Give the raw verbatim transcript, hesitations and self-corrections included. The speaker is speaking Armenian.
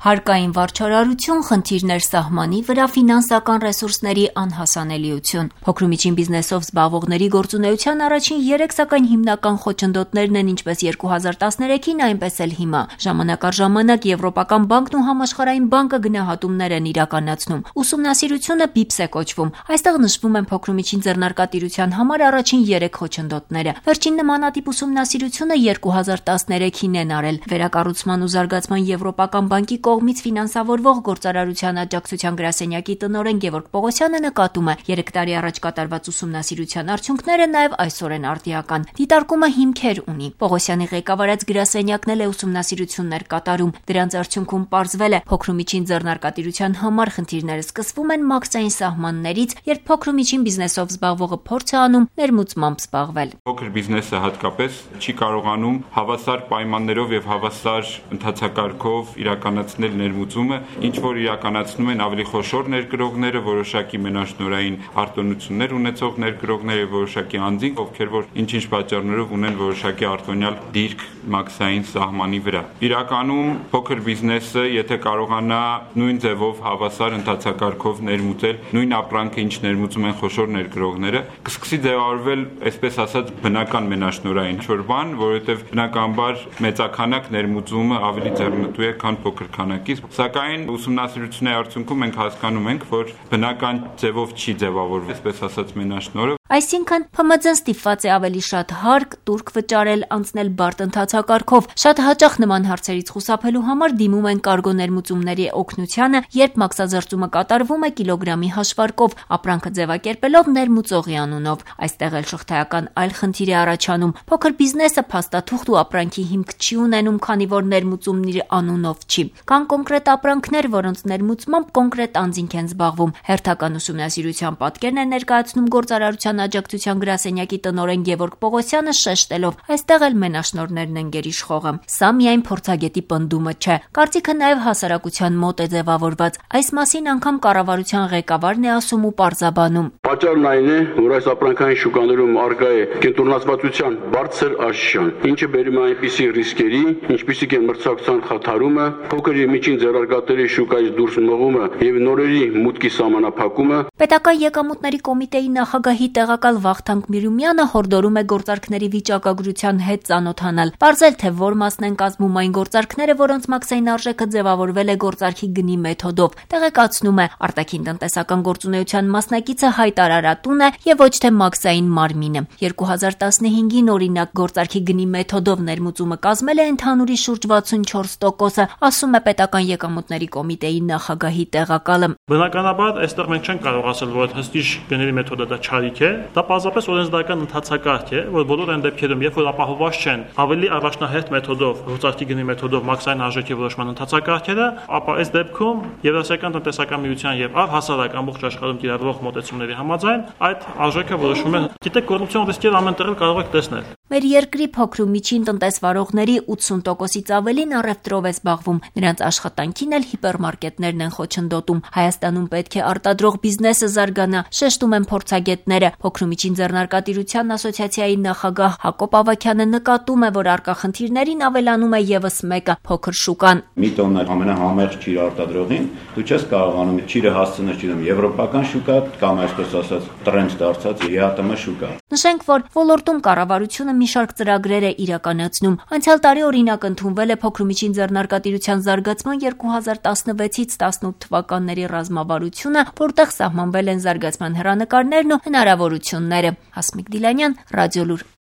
Հարկային վարչարարություն, խնդիրներ սահմանի վրա, ֆինանսական ռեսուրսների անհասանելիություն։ Փոքր ու միջին բիզնեսով զբաղվողների գործունեության առաջին երեք սակայն հիմնական խոչընդոտներն են ինչպես երկու հազար տասներեքին, այնպես էլ հիմա։ Ժամանակ առ ժամանակ Եվրոպական բանկն ու Համաշխարհային բանկը գնահատումներ են իրականացնում։ Ուսումնասիրությունը բիփս է կոչվում։ Այստեղ նշվում են փոքր ու միջին ձեռնարկատիրության համար առաջին երեք խոչընդոտները։ Վերջին նմանատիպ ուսումնասիրությունը երկու հազար տասներեքին են արել։ Վերակառուցման ու զարգացման Եվրոպական բանկի կողմից ֆինանսավորվող գործարարության աջակցության գրասենյակի տնօրեն Գևորգ Պողոսյանը նկատում է, երեք տարի առաջ կատարված ուսումնասիրության արդյունքները նաև այսօր են արդիական։ Դիտարկումը հիմքեր ունի։ Պողոսյանի ղեկավարած գրասենյակն էլ է ուսումնասիրություններ կատարում։ Դրանց արդյունքում պարզվել է, փոքր ու միջին ձեռնարկատիրության համար խնդիրները սկսվում են մաքսային սահմաններից, երբ փոքր ու միջին բիզնեսով զբաղվողը փորձ է անում ներմուծմամբ զբաղվել։ Փոքր բիզնեսը հատկապես չի կարողանում հավասար պայմաններով եւ հավասար ընթացակարգով իրականացնել ներմուծումը, ինչ որ իրականացնում են ավելի խոշոր ներգրողները, որոշակի մենաշնորհային արտոնություններ ունեցող ներգրողները, որոշակի անձինք, ովքեր որ ինչ-ինչ պատճառներով ունեն որոշակի արտոնյալ դիրք մաքսային սահմանի վրա։ Իրականում փոքր բիզնեսը, եթե կարողանա նույն ձևով հավասար ընթացակարգով ներմուծել նույն ապրանքը, ինչ ներմուծում են խոշոր ներգրողները, կսկսի ձևավորվել, այսպես ասած, բնական մենաշնորհային ինչ-որ բան, որովհետև բնականաբար մեծաքանակ ներմուծումը ավելի ձեռնտու է, քան փոքր քանակից, սակայն ուսումնասիրությունների արդյունքում մենք հասկանում ենք, որ բնական ձևով չի ձևավորվում, այսպես ասած, մենաշնորհը։ Այսինքն Փ M Ծ-ն ստիպված է ավելի շատ հարկ, տուրք վճարել, անցնել բարդ ընթացակարգով։ Շատ հաճախ նման հարցերից խուսափելու համար դիմում են կարգո ներմուծումների օգնությանը, երբ մաքսազերծումը կատարվում է կիլոգրամի հաշվարկով, ապրանքը ձևակերպելով ներմուծողի անունով։ Այստեղ էլ շղթայական այլ խնդիր է առաջանում։ Փոքր բիզնեսը փաստաթուղթ ու ապրանքի հիմք չի ունենում, քանի որ ներմուծումն իր անունով չի։ Կան կոնկրետ ապրանքներ, որոնց ներմուծմամբ կոնկրետ անձինք են զբաղվում։ Հերթական ուսումնասիրության պատկերն է ներկայացնում գործարարության աջակցության գրասենյակի տնօրեն Գևորգ Պողոսյանը, շեշտելով, այստեղ էլ մենաշնորհներն են գերիշխողը։ Սա միայն փորձագետի պնդումը չէ։ Կարծիքը նաև հասարակության մոտ է ձևավորված։ Այս մասին անգամ կառավարության ղեկավարն է ասում ու պարզաբանում։ Պատճառն այն է, որ այս ապրանքային շուկաներում առկա է կենտրոնացվածության բարձր աշխարհ, ինչը բերում է այնպիսի ռիսկերի, ինչպիսիք են մրցակցության խաթարումը, փոքր եւ միջին ձեռնարկատերի շուկայից դուրս մղումը եւ նորերի մուտքի սահմանափակումը։ Պետական եկամուտների կոմիտեի նախագահի տեղակալ Վախթանգ Միրումյանը հորդորում է գործարքների վիճակագրության հետ ծանոթանալ, պարզել թե որ մասն են կազմում այն գործարքները, որոնց մաքսային արժեքը ձևավորվել է գործարքի գնի մեթոդով։ Տեղեկացնում է, արտաքին տնտեսական գործունեության մասնակիցը հայտարարատուն է եւ ոչ թե մաքսային մարմինը։ երկու հազար տասնհինգին օրինակ գործարքի գնի մեթոդով ներմուծումը կազմել է ընդհանուրի շուրջ վաթսունչորս տոկոսը, ասում է պետական եկամուտների կոմիտեի նախագահի տեղակալը։ Բնականաբար, այստեղ մենք չենք կարող ասել, որ հստիչ գների մեթոդը դա չարիք է, դա պարզապես օրենսդրական ընթացակարգ է, որ բոլոր այն դեպքերում, երբ որ ապահովված չեն ավելի առաջնահերթ մեթոդով, գործարքի գնի մեթոդով մաքսային արժեքի որոշման ընթացակարգերը, ապա այս դեպքում Եվրասիական տնտեսական միության եւ առհասարակ ամբողջ աշխարհում կիրառվող մոտեցումների համաձայն այդ արժեքը որոշվում է։ Գիտեք, կոռուպցիոն ռիսկերը ամեն տեղ կարող եք տեսնել։ Մեր երկրի փոքր ու միջին տնտեսվարողների ութսուն տոկոսից ավելին առևտրով է զբաղվում։ Նրանց աշխատանքին էլ հիպերմարկետներն են խոչընդոտում։ Հայաստանում պետք է արտադրող բիզնեսը զարգանա, շեշտում են փորձագետները։ Փոքր ու միջին ձեռնարկատիրության ասոցիացիայի նախագահ Հակոբ Ավագյանը նկատում է, որ առկա խնդիրներին ավելանում է եւս մեկը՝ փոքր շուկան։ Մի տոննա ամենահամեղ ճիր արտադրողին դու չես կարողանում ճիրը հասցնել ճիրում եվրոպական շուկա կամ այսպես ասած տրենդ դարձած ԵԱՏՄ շուկա։ Նշենք, որ ոլորտում կառավարությունը մի շարք ծրագրեր է իրականացնում։ Անցյալ տարի օրինակ ընդունվել է փոքր ու միջին ձեռնարկատիրության զարգացման երկու հազար տասնվեցից տասնութ թվականների ռազմավարությունը, որտեղ սահմանվել են զարգացման հեռանկարներն ու հնարավորությունները։ Հասմիկ Դիլանյան, Ռադիոլուր։